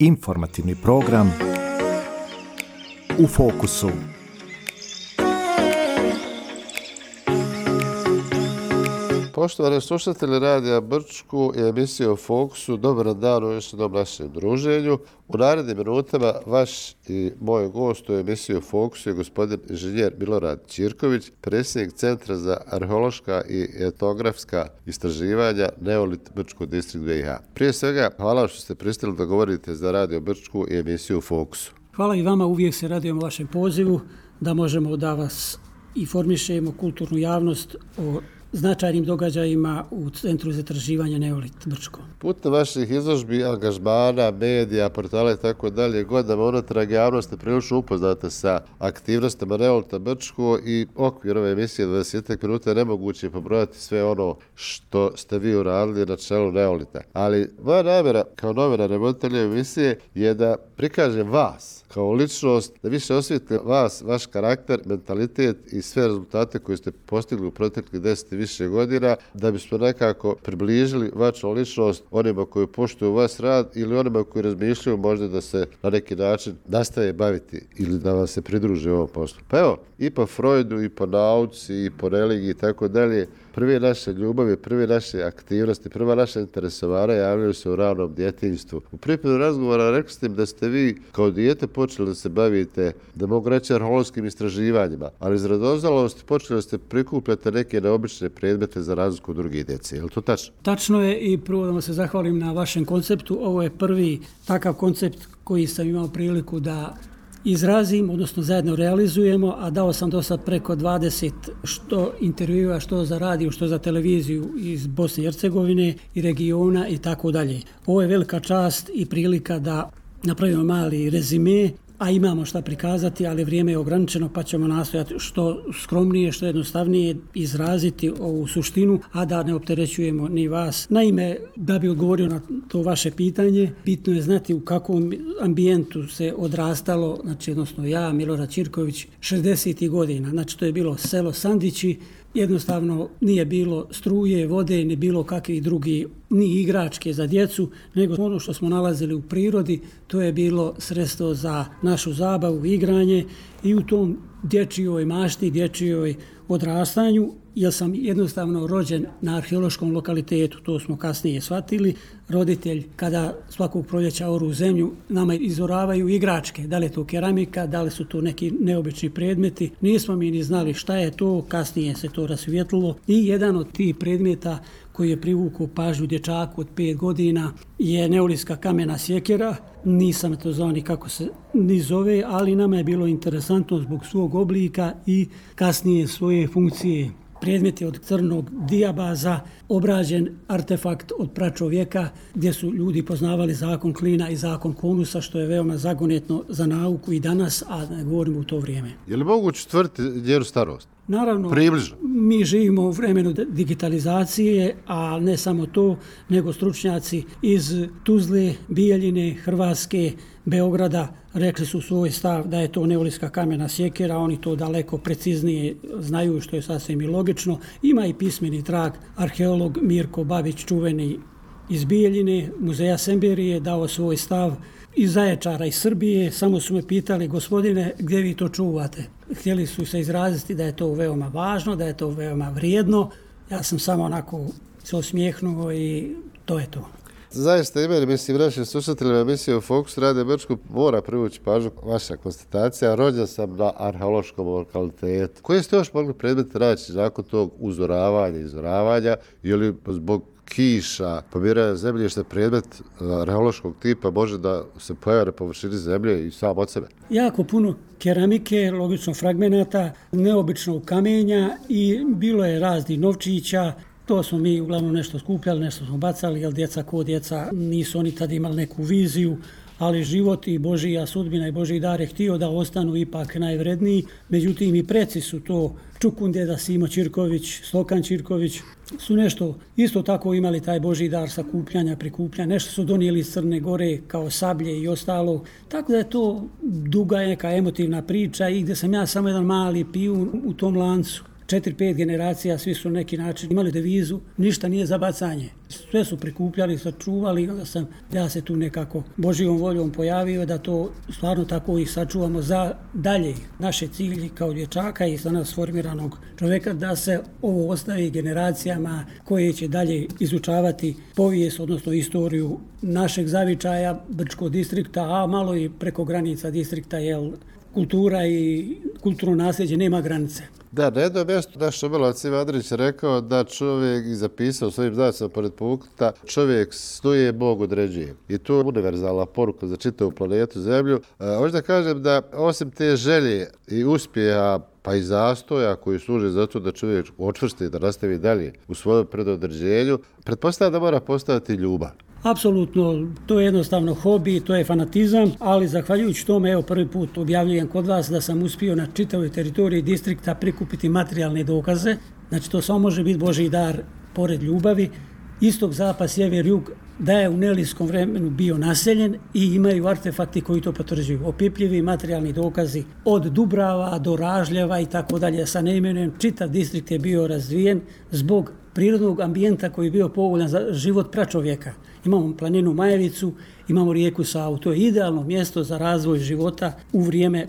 Informativni program U fokusu. Poštovani slušatelji Radija Brčku i emisije U fokusu, dobar dan u još jednom našem druženju. U narednim minutama vaš i moj gost u emisiji U fokusu je gospodin inženjer Milorad Ćirković, predsjednik Centra za arheološka i etnografska istraživanja Neolit Brčko distrikt BiH. Prije svega, hvala što ste pristali da govorite za Radio Brčku i emisiju U fokusu. Hvala i vama, uvijek se radujemo vašem pozivu da možemo da vas informišemo, kulturnu javnost o značajnim događajima u Centru za istraživanje Neolit Brčko. Putem vaših izložbi, angažmana, medija, portala i tako dalje, godinama unatrag javnosti prilično upoznate sa aktivnostima Neolita Brčko i okvir ove emisije 20 minuta je nemoguće pobrojati sve ono što ste vi uradili na čelu Neolita. Ali moja namjera kao novinar i voditelja emisije je da prikažem vas kao ličnost, da više osvijetlite vas, vaš karakter, mentalitet i sve rezultate koje ste postigli u proteklih 10 i više godina, da bismo nekako približili vašu ličnost onima koji poštuju vas rad ili onima koji razmišljaju možda da se na neki način nastaje baviti ili da vam se pridruže u ovom poslu. Pa evo, i po Freudu, i po nauci, i po religiji i tako dalje, prve naše ljubavi, prve naše aktivnosti, prva naša interesovanja javljaju se u ranom djetinjstvu. U pripremu razgovora rekli ste im da ste vi kao dijete počeli da se bavite, da mogu reći, arheološkim istraživanjima, ali iz radoznalosti počeli ste prikupljati neke neobične predmete za razliku od druge djece. Je li to tačno? Tačno je i prvo da vam se zahvalim na vašem konceptu. Ovo je prvi takav koncept koji sam imao priliku da izrazim, odnosno zajedno realizujemo, a dao sam do sad preko 20 što intervjua, što za radio, što za televiziju iz Bosne i Hercegovine i regiona i tako dalje. Ovo je velika čast i prilika da napravimo mali rezime, a imamo šta prikazati, ali vrijeme je ograničeno pa ćemo nastojati što skromnije, što jednostavnije izraziti ovu suštinu, a da ne opterećujemo ni vas. Naime, da bi odgovorio na to vaše pitanje, bitno je znati u kakvom ambijentu se odrastalo, znači odnosno ja, Milorad Ćirković, 60. godina, znači to je bilo selo Sandići, jednostavno nije bilo struje, vode, ni bilo kakvih drugi, ni igračke za djecu, nego ono što smo nalazili u prirodi, to je bilo sredstvo za našu zabavu, igranje i u tom dječjoj mašti, dječjoj odrastanju, jer sam jednostavno rođen na arheološkom lokalitetu, to smo kasnije shvatili. Roditelj, kada svakog proljeća oru zemlju, nama izoravaju igračke, da li je to keramika, da li su to neki neobični predmeti. Nismo mi ni znali šta je to, kasnije se to rasvijetlilo. I jedan od tih predmeta koji je privukao pažnju dječaku od 5 godina je neolitska kamena sjekira. Nisam to znao ni kako se ni zove, ali nama je bilo interesantno zbog svog oblika i kasnije svoje funkcije. Predmet je od crnog dijabaza, obrađen artefakt od pračovjeka gdje su ljudi poznavali zakon klina i zakon konusa, što je veoma zagonetno za nauku i danas, a ne govorimo u to vrijeme. Je li moguće tvrditi njenu starost? Naravno, približno. Mi živimo u vremenu digitalizacije, a ne samo to, nego stručnjaci iz Tuzle, Bijeljine, Hrvatske, Beograda rekli su svoj stav da je to neolitska kamena sjekira, oni to daleko preciznije znaju, što je sasvim i logično. Ima i pismeni trag, arheolog Mirko Babić, čuveni iz Bijeljine, muzeja Semberije, dao svoj stav. Iz Zaječara, iz Srbije, samo su me pitali, gospodine, gdje vi to čuvate? Htjeli su se izraziti da je to veoma važno, da je to veoma vrijedno. Ja sam samo onako se osmijehnuo i to je to. Zaista imali, mislim, našim slušateljima emisije U fokusu Radija Brčko mora privući pažnju vaša konstatacija. Rođen sam na arheološkom lokalitetu. Koje ste još mogli predmete naći nakon tog izoravanja ili zbog kiša, pomiranja zemljišta, predmet arheološkog tipa može da se pojavi na površini zemlje i sam od sebe? Jako puno keramike, logično fragmenata, neobičnog kamenja i bilo je raznih novčića. To smo mi uglavnom nešto skupljali, nešto smo bacali, jer djeca ko djeca nisu oni tad imali neku viziju, ali život i Božija sudbina i Božji dar je htio da ostanu ipak najvredniji. Međutim, i preci su to, Čukundeda, Simo Ćirković, Stokan Ćirković, su nešto isto tako imali taj Božji dar sakupljanja, prikupljanja, nešto su donijeli iz Crne Gore kao sablje i ostalo. Tako da je to duga neka emotivna priča i gdje sam ja samo jedan mali pijun u tom lancu. 4-5 generacija, svi su na neki način imali devizu, ništa nije za bacanje. Sve su prikupljali, sačuvali, onda sam ja se tu nekako Božjom voljom pojavio da to stvarno tako ih sačuvamo za dalje. Naše cilji kao dječaka i za nas formiranog čovjeka da se ovo ostavi generacijama koje će dalje izučavati povijest, odnosno istoriju našeg zavičaja, Brčkog distrikta, a malo i preko granica distrikta, jer kultura i kulturno nasljeđe nema granice. Da, na jednom mjestu naš Omelovac Ivan Andrić je rekao da čovjek i zapisao svojim znacima pored pukta, čovjek snuje, Bog određuje. I to je univerzalna poruka za čitavu planetu Zemlju. Hoću da kažem da osim te želje i uspjeha pa i zastoja koji služe za to da čovjek očvrsti da nastavi dalje u svojom predodređenju, pretpostavljam da mora postojati ljubav. Apsolutno, to je jednostavno hobi, to je fanatizam, ali zahvaljujući tome, evo prvi put objavljujem kod vas da sam uspio na čitavoj teritoriji distrikta prikupiti materijalne dokaze. Znači to samo može biti Božji dar pored ljubavi. Istok, zapad, sjever, jug, da je u neolitskom vremenu bio naseljen i imaju artefakti koji to potvrđuju. Opipljivi materijalni dokazi od Dubrava do Ražljeva i tako dalje. Sa neimenujem, čitav distrikt je bio razvijen zbog prirodnog ambijenta koji je bio povoljan za život pračovjeka. Imamo planinu Majevicu, imamo rijeku Savu. To je idealno mjesto za razvoj života u vrijeme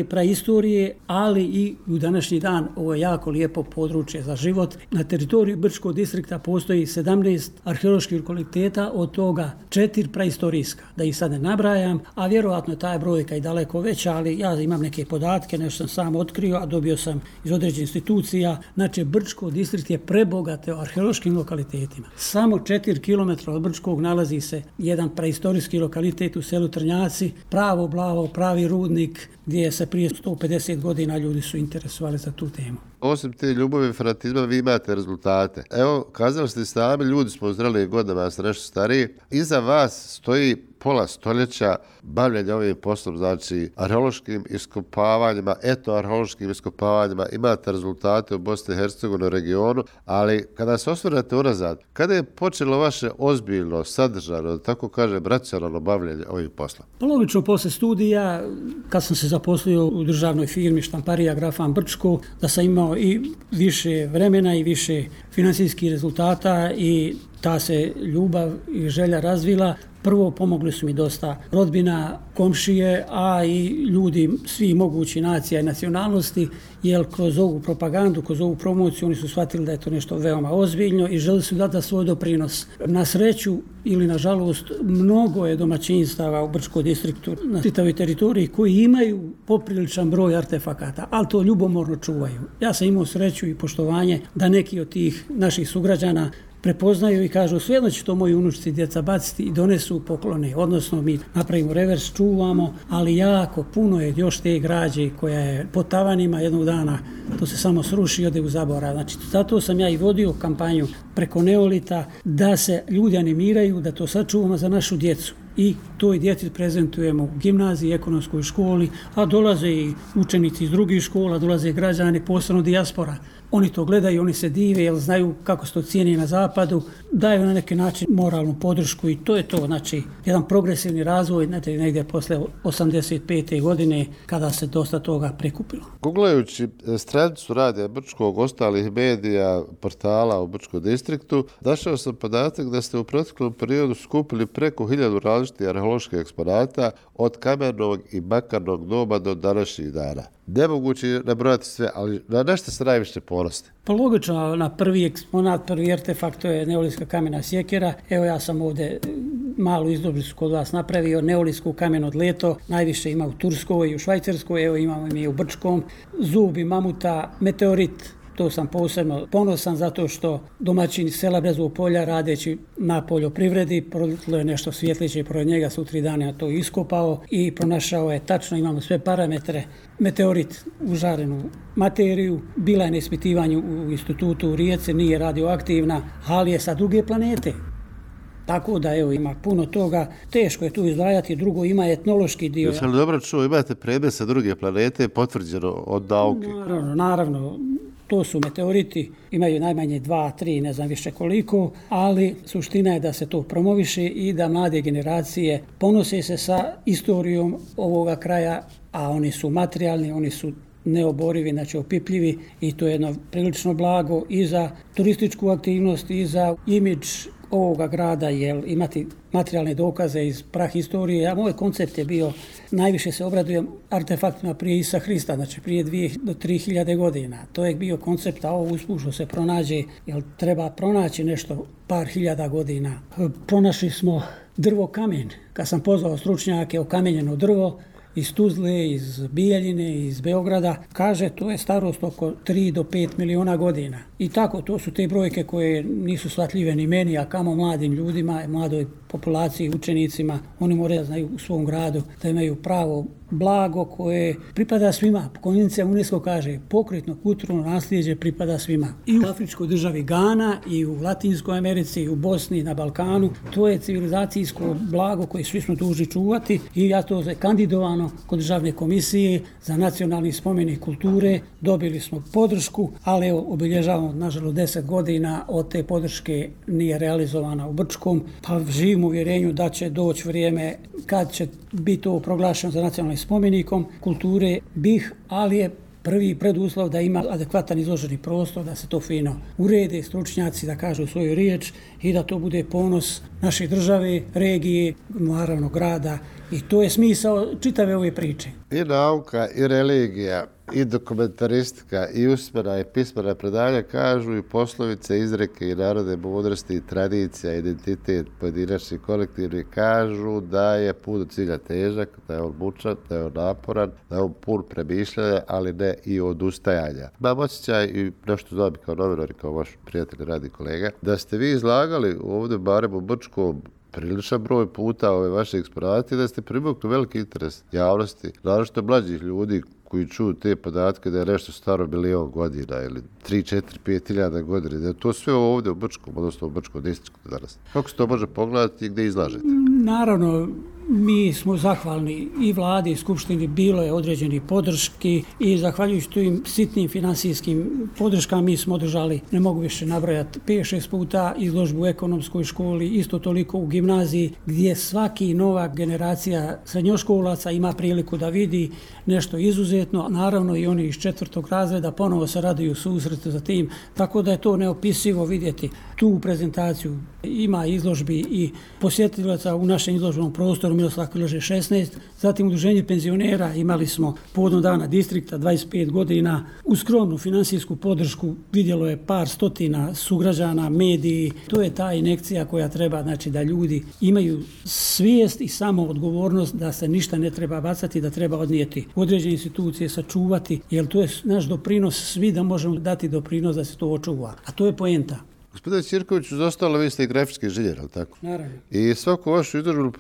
praistorije, ali i u današnji dan. Ovo je jako lijepo područje za život. Na teritoriji Brčkog distrikta postoji 17 arheoloških lokaliteta, od toga 4 praistorijska. Da ih sad ne nabrajam, a vjerojatno je taj brojka i daleko veća, ali ja imam neke podatke, nešto sam sam otkrio, a dobio sam iz određenih institucija. Znači, Brčko distrikt je prebogate arheološkim lokalitetima. Samo 4 km od Brčkog nalazi se jedan praistorijski lokalitet u selu Trnjaci, pravo Blavo, pravi rudnik, gdje se prije 150 godina ljudi su interesovali za tu temu. Osim te ljubavi i fanatizma, vi imate rezultate. Evo, kazali ste sami, ljudi smo u zrelijim godinama, ste nešto stariji. Iza vas stoji pola stoljeća bavljenja ovim poslom, znači arheološkim iskopavanjima, etnoarheološkim iskopavanjima, imate rezultate u Bosni i Hercegovini regionu, ali kada se osvrnete unazad, kada je počelo vaše ozbiljno, sadržano, tako kažem, racionalno bavljenje ovim poslom? Logično, posle studija, kad sam se zaposlio u državnoj firmi Štamparija Grafan Brčko, da sam imao i više vremena i više financijskih rezultata i ta se ljubav i želja razvila. Prvo, pomogli su mi dosta rodbina, komšije, a i ljudi svi mogući nacija i nacionalnosti, jer kroz ovu propagandu, kroz ovu promociju oni su shvatili da je to nešto veoma ozbiljno i želi su dati svoj doprinos. Na sreću ili na žalost, mnogo je domaćinstava u Brčkom distriktu na čitavoj teritoriji koji imaju popriličan broj artefakata, ali to ljubomorno čuvaju. Ja sam imao sreću i poštovanje da neki od tih naših sugrađana prepoznaju i kažu svejedno će to moji unučici djeca baciti i donesu poklone. Odnosno mi napravimo revers, čuvamo, ali jako puno je još te građe koja je po tavanima jednog dana, to se samo sruši i ode u zaborav. Znači, zato sam ja i vodio kampanju preko neolita da se ljudi animiraju, da to sačuvamo za našu djecu. I toj djeci prezentujemo u gimnaziji, ekonomskoj školi, a dolaze i učenici iz drugih škola, dolaze građani, posebno dijaspora. Oni to gledaju, oni se dive, jer znaju kako se to cijeni na zapadu, daju na neki način moralnu podršku i to je to, znači, jedan progresivni razvoj, negdje posle 85. godine, kada se dosta toga prikupilo. Googlajući stranicu Radija Brčkog, ostalih medija, portala u Brčkom distriktu, našao sam podatak da ste u proteklom periodu skupili preko 1000 različitih arheoloških eksponata od kamenog i bakarnog doba do današnjih dana. Nemoguće nabrojati sve, ali na nešto se najviše ponosite? Pa logično, na prvi eksponat, prvi artefakt, to je neolitska kamena sjekira. Evo ja sam ovdje malu izložnicu kod vas napravio, neolitsku kameno dleto, najviše ima u Turskoj i u Švajcarskoj, evo imamo i u Brčkom, zubi mamuta, meteorit. To sam posebno ponosan zato što domaćin sela Brezovog polja radeći na poljoprivredi prolitilo je nešto svjetliće i pored njega su 3 dana to iskopao i pronašao je tačno, imamo sve parametre, meteorit u žarenu materiju, bila je na ispitivanju u institutu u Rijeci, nije radioaktivna, ali je sa druge planete. Tako da evo ima puno toga, teško je tu izdvajati, drugo ima etnološki dio. Jesi li dobro čuo, imate predmet sa druge planete potvrđeno od nauke? Naravno. To su meteoriti, imaju najmanje 2, 3, ne znam više koliko, ali suština je da se to promoviše i da mlade generacije ponose se sa istorijom ovoga kraja, a oni su materijalni, oni su neoborivi, znači opipljivi i to je jedno prilično blago i za turističku aktivnost i za imidž ovoga grada, jer imati materijalne dokaze iz prahistorije. A moj koncept je bio, najviše se obradujem artefaktima prije Isusa Hrista, znači prije 2 do 3.000 godina. To je bio koncept, a ovo uspušno se pronađe, jer treba pronaći nešto par hiljada godina. Pronašli smo drvo kamen. Kad sam pozvao stručnjake, okamenjeno drvo, iz Tuzle, iz Bijeljine, iz Beograda, kaže to je starost oko 3 do 5 miliona godina. I tako, to su te brojke koje nisu shvatljive ni meni, a kamo mladim ljudima, mladoj populaciji, učenicima. Oni moraju da znaju u svom gradu da imaju pravo blago koje pripada svima. Konvencija UNESCO kaže pokretno kulturno nasljeđe pripada svima. I u afričkoj državi Gana, i u Latinskoj Americi, i u Bosni, na Balkanu. To je civilizacijsko blago koje svi smo dužni čuvati i ja to je kandidovano kod Državne komisije za nacionalni spomenik kulture. Dobili smo podršku, ali obilježavamo nažalost 10 godina od te podrške nije realizovana u Brčkom, pa živim u uvjerenju da će doći vrijeme kad će biti to proglašeno za nacionalnim spomenikom kulture ali je prvi preduslov da ima adekvatan izloženi prostor, da se to fino urede, stručnjaci da kažu svoju riječ i da to bude ponos naše države, regije, naravno grada i to je smisao čitave ove priče. I nauka, i religija, i dokumentaristika, i usmena, i pismena predanja kažu i poslovice, izreke i narodne mudrosti, i tradicija, identitet, pojedinačni, kolektivni kažu da je put do cilja težak, da je on mučan, da je on naporan, da je on pun premišljanja, ali ne i odustajanja. Imam osjećaj i nešto znam kao novinar i kao vaš prijatelj, radi kolega, da ste vi izlagali ovdje barem u Brčkom priličan broj puta ove vaše eksponate da ste privukli veliki interes javnosti, naročito mlađih ljudi koji čuju te podatke da je nešto staro 1.000.000 godina ili 3, 4, 5 hiljada godina, da je to sve ovdje u Brčkom, odnosno u Brčkom distriktu danas. Kako se to može pogledati i gdje izlažete? Naravno, mi smo zahvalni i vladi i skupštini, bilo je određeni podrški i zahvaljujući tim sitnim finansijskim podrškama mi smo održali, ne mogu više nabrojati, 5-6 puta izložbu u ekonomskoj školi, isto toliko u gimnaziji gdje svaki nova generacija srednjoškolaca ima priliku da vidi nešto izuzetno, naravno i oni iz 4. razreda ponovo se raduju susretu za tim, tako da je to neopisivo vidjeti tu prezentaciju. Ima izložbi i posjetilaca u našem izložbenom prostoru Miroslav Krleže 16, zatim udruženje penzionera imali smo povodom dana distrikta 25 godina, uz skromnu finansijsku podršku vidjelo je par stotina sugrađana, mediji, to je ta injekcija koja treba, znači da ljudi imaju svijest i samo odgovornost da se ništa ne treba bacati, da treba odnijeti u određene institucije, sačuvati, jer to je naš doprinos, svi da možemo dati doprinos da se to očuva, a to je poenta. Gospodine Ćirkoviću, zostalo vi ste i grafički inženjer, ali tako? Naravno. I svaku vašu izložbu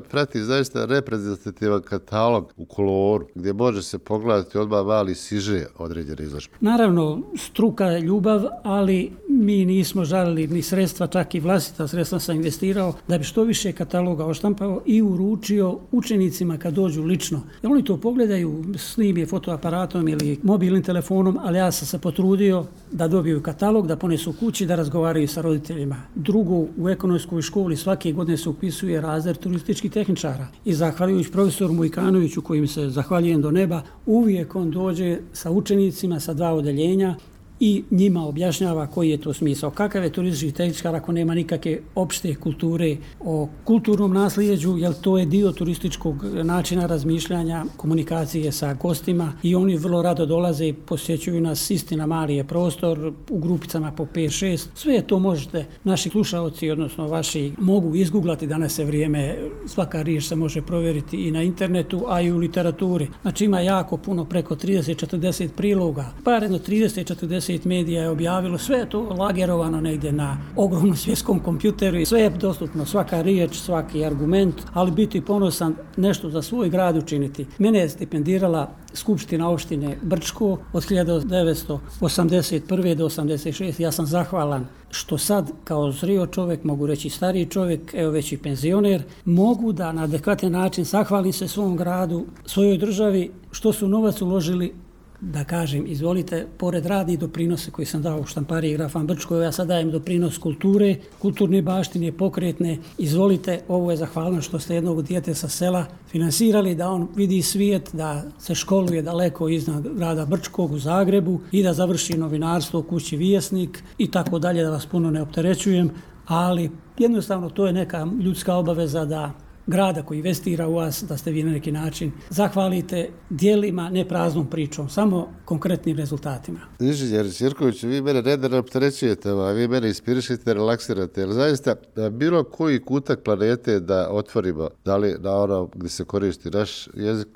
prati zaista reprezentativan katalog u koloru, gdje može se pogledati odmah mali siže određene izložbe. Naravno, struka je ljubav, ali mi nismo žalili ni sredstva, čak i vlastita sredstva sam investirao, da bi što više kataloga oštampao i uručio učenicima kad dođu lično. Jer oni to pogledaju, snime fotoaparatom ili mobilnim telefonom, ali ja sam se potrudio da dobiju katalog, da ponesu kući, da razgovaraju sa roditeljima. Drugo, u ekonomskoj školi svake godine se upisuje razred turističkih tehničara i zahvaljujući profesoru Mujkanoviću, kojim se zahvaljujem do neba, uvijek on dođe sa učenicima sa 2 odeljenja i njima objašnjava koji je to smisao. Kakav je turistički tehničar ako nema nikakve opšte kulture o kulturnom nasljeđu, jer to je dio turističkog načina razmišljanja, komunikacije sa gostima i oni vrlo rado dolaze i posjećuju nas, istina mali je prostor, u grupicama po 5-6. Sve to možete, naši slušaoci, odnosno vaši, mogu izguglati, danas je vrijeme, svaka riječ se može provjeriti i na internetu, a i u literaturi. Znači ima jako puno, preko 30-40 priloga, par jedno 30-40 medija je objavilo, sve je to lagerovano negdje na ogromnom svjetskom kompjuteru i sve je dostupno, svaka riječ, svaki argument, ali biti ponosan nešto za svoj grad učiniti. Mene je stipendirala Skupština opštine Brčko od 1981. do 86. Ja sam zahvalan što sad kao zrio čovjek, mogu reći stariji čovjek, evo već i penzioner, mogu da na adekvatan način zahvalim se svom gradu, svojoj državi, što su novac uložili da kažem, izvolite, pored radnih doprinosa koji sam dao u štampariji Grafan Brčko, ja sad dajem doprinos kulture, kulturne baštine, pokretne, izvolite, ovo je zahvalno što ste jednog dijete sa sela finansirali, da on vidi svijet, da se školuje daleko iznad grada Brčkog u Zagrebu i da završi novinarstvo u kući Vijesnik i tako dalje, da vas puno ne opterećujem, ali jednostavno to je neka ljudska obaveza da grada koji investira u vas, da ste vi na neki način zahvalite djelima, ne praznom pričom, samo konkretnim rezultatima. Inženjer Ćirković, vi mene ne opterećujete, a vi mene inspirišite, relaksirate, jer zaista bilo koji kutak planete da otvorimo, da li na ono gdje se koristi naš jezik,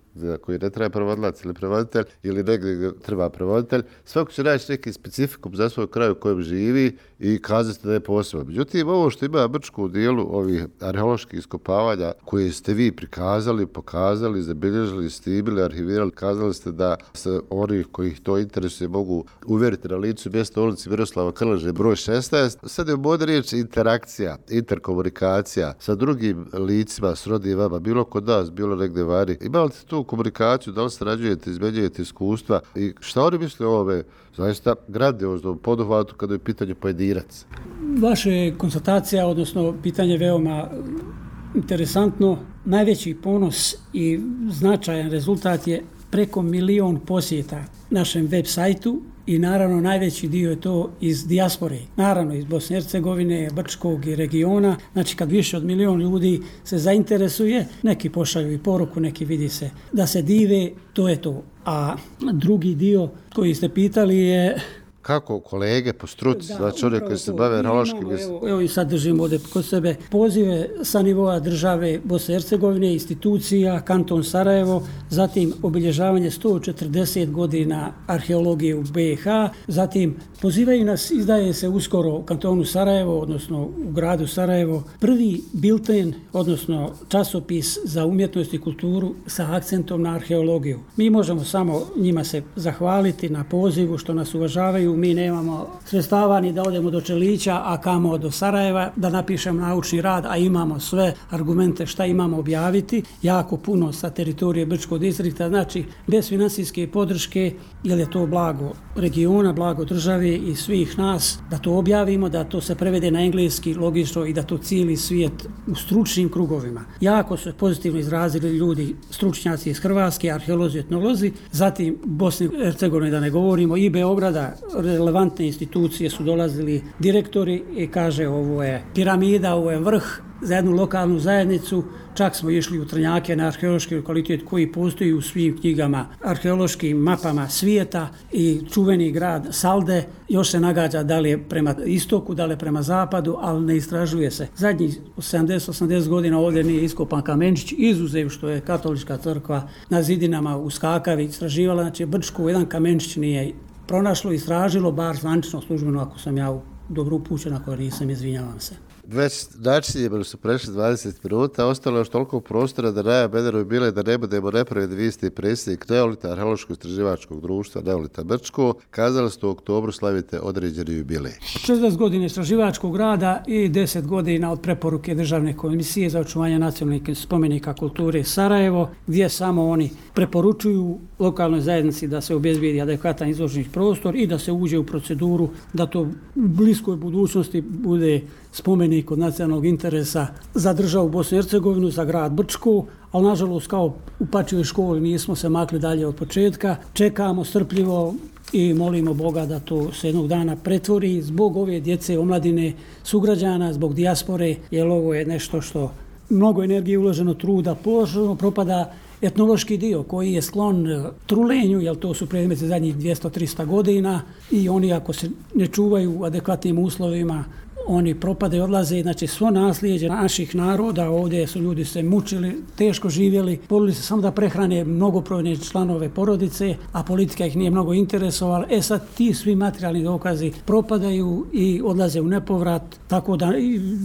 koji ne treba prevodilac ili prevoditelj ili negdje gdje treba prevoditelj, svako će naći neki specifikum za svoj kraj u kojem živi i kazati da je posebno. Međutim, ovo što ima Brčko u dijelu ovih arheoloških iskopavanja koje ste vi prikazali, pokazali, zabilježili, stibili, arhivirali, kazali ste da se oni koji to interesuje mogu uvjeriti na licu mjesta ulici Miroslava Krleže broj 16. Sad je u modernoj riječ interakcija, interkomunikacija sa drugim licima, s rodnim vama, bilo kod nas, bilo negdje vani. Imali ste tu komunikaciju, da li sarađujete, izmenjujete iskustva i šta oni misle o ovome zaista grandioznom poduhvatu kada je pitanje pojedinac? Vaše konstatacija, odnosno pitanje veoma interesantno. Najveći ponos i značajan rezultat je preko 1 milion posjeta našem web sajtu i naravno najveći dio je to iz dijaspore, naravno iz Bosne i Hercegovine, Brčkog i regiona. Znači kad više od 1 milion ljudi se zainteresuje, neki pošalju i poruku, neki vidi se da se dive, to je to. A drugi dio koji ste pitali je kako kolege po struci, znači oni koji se bave arheološkim... Evo i sad držimo ovdje kod sebe pozive sa nivoa države Bosne i Hercegovine, institucija, kanton Sarajevo, zatim obilježavanje 140 godina arheologije u BiH, zatim pozivaju nas, izdaje se uskoro u kantonu Sarajevo, odnosno u gradu Sarajevo, prvi bilten, odnosno časopis za umjetnost i kulturu sa akcentom na arheologiju. Mi možemo samo njima se zahvaliti na pozivu što nas uvažavaju. Mi nemamo sredstava ni da odemo do Čelića, a kamo do Sarajeva, da napišemo naučni rad, a imamo sve argumente šta imamo objaviti, jako puno sa teritorije Brčkog distrikta, znači bez finansijske podrške, jer je to blago regiona, blago države i svih nas, da to objavimo, da to se prevede na engleski logično i da to cijeli svijet u stručnim krugovima. Jako su pozitivno izrazili ljudi, stručnjaci iz Hrvatske, arheolozi, etnolozi, zatim Bosne i Hercegovine da ne govorimo, i Beograda, relevantne institucije su dolazili, direktori, i kaže ovo je piramida, ovo je vrh za jednu lokalnu zajednicu. Čak smo išli u Trnjake na arheološki lokalitet koji postoji u svim knjigama, arheološkim mapama svijeta, i čuveni grad Salde još se nagađa da li je prema istoku, da li je prema zapadu, ali ne istražuje se. Zadnjih 70-80 godina ovdje nije iskopan kamenčić, izuzev što je katolička crkva na zidinama u Skakavi istraživala, znači Brčko jedan kamenčić nije pronašlo, istražilo, bar zvanično službeno, ako sam ja dobro upućen, ako nisam, izvinjavam se. Već načinjemo su prešli 20 minuta, ostalo još toliko prostora da najavljeno bile da ne budemo nepravedni. Vi ste predsjednik Neolita, arheološko-istraživačkog društva Neolita Brčko. Kazali ste u oktobru slavite određeni jubilej. 60 godina istraživačkog rada i 10 godina od preporuke Državne komisije za očuvanje nacionalnih spomenika kulture Sarajevo, gdje samo oni preporučuju lokalnoj zajednici da se obezbijedi adekvatan izloženi prostor i da se uđe u proceduru da to u bliskoj budućnosti bude spomenik od nacionalnog interesa za državu Bosnu i Hercegovinu, za grad Brčko, ali nažalost kao u Pačijoj školi nismo se makli dalje od početka. Čekamo strpljivo i molimo Boga da to se jednog dana pretvori zbog ove djece, omladine, sugrađana, zbog dijaspore, jer ovo je nešto što mnogo energije uloženo, truda, propada etnološki dio koji je sklon trulenju, jer to su predmeti zadnjih 200-300 godina i oni ako se ne čuvaju u adekvatnim uslovima, oni propade i odlaze. Znači svo nasljeđe naših naroda, ovdje su ljudi se mučili, teško živjeli, borili se samo da prehrane mnogobrojne članove porodice, a politika ih nije mnogo interesovala. Sad ti svi materijalni dokazi propadaju i odlaze u nepovrat, tako da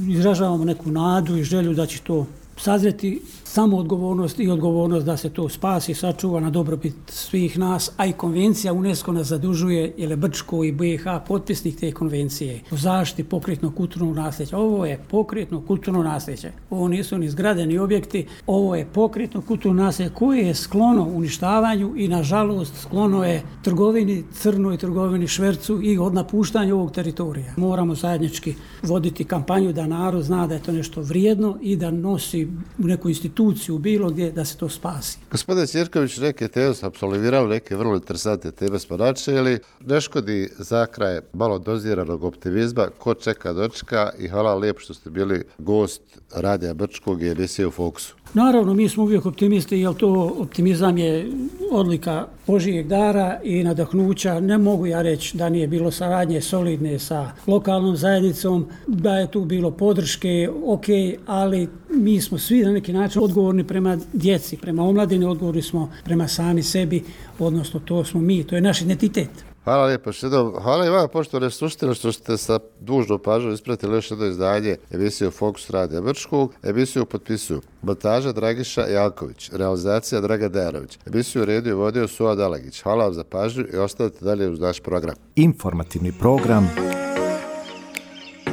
izražavamo neku nadu i želju da će to sazreti samoodgovornost i odgovornost da se to spasi, sačuva na dobrobit svih nas, a i konvencija UNESCO nas zadužuje, jer je Brčko i BiH potpisnik te konvencije o zaštiti pokretnog kulturnog nasljeđa. Ovo je pokretno kulturno nasljeđe. Ovo nisu ni zgrade ni objekti, ovo je pokretno kulturno nasljeđe koje je sklono uništavanju i nažalost sklono je trgovini, crnoj trgovini, švercu i od napuštanja ovog teritorija. Moramo zajednički voditi kampanju da narod zna da je to nešto vrijedno i da nosi u neku instituciju bilo gdje da se to spasi. Gospodine Ćirković, neke teme su apsolvirali, neke vrlo interesantne teme smo načeli. Ne škodi za kraj malo doziranog optimizma, ko čeka dočeka i hvala lijepo što ste bili gost Radija Brčkog i emisije U fokusu. Naravno, mi smo uvijek optimisti, jer to optimizam je odlika Božijeg dara i nadahnuća. Ne mogu ja reći da nije bilo saradnje solidne sa lokalnom zajednicom, da je tu bilo podrške, ok, ali mi smo svi na neki način odgovorni prema djeci, prema omladini, odgovorni smo prema sami sebi, odnosno to smo mi, to je naš identitet. Hvala lijepo što hvala i vama poštovane slušatelji što ste sa dužnom pažnjom ispratili još jedno izdanje emisije Fokus Radija Brčkog. Emisiju potpisuju montaža Dragiša Janković, realizacija Dragan Dejanović. Emisiju redio i vodio Suad Alagić. Hvala vam za pažnju i ostavite dalje uz naš program. Informativni program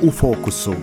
U fokusu.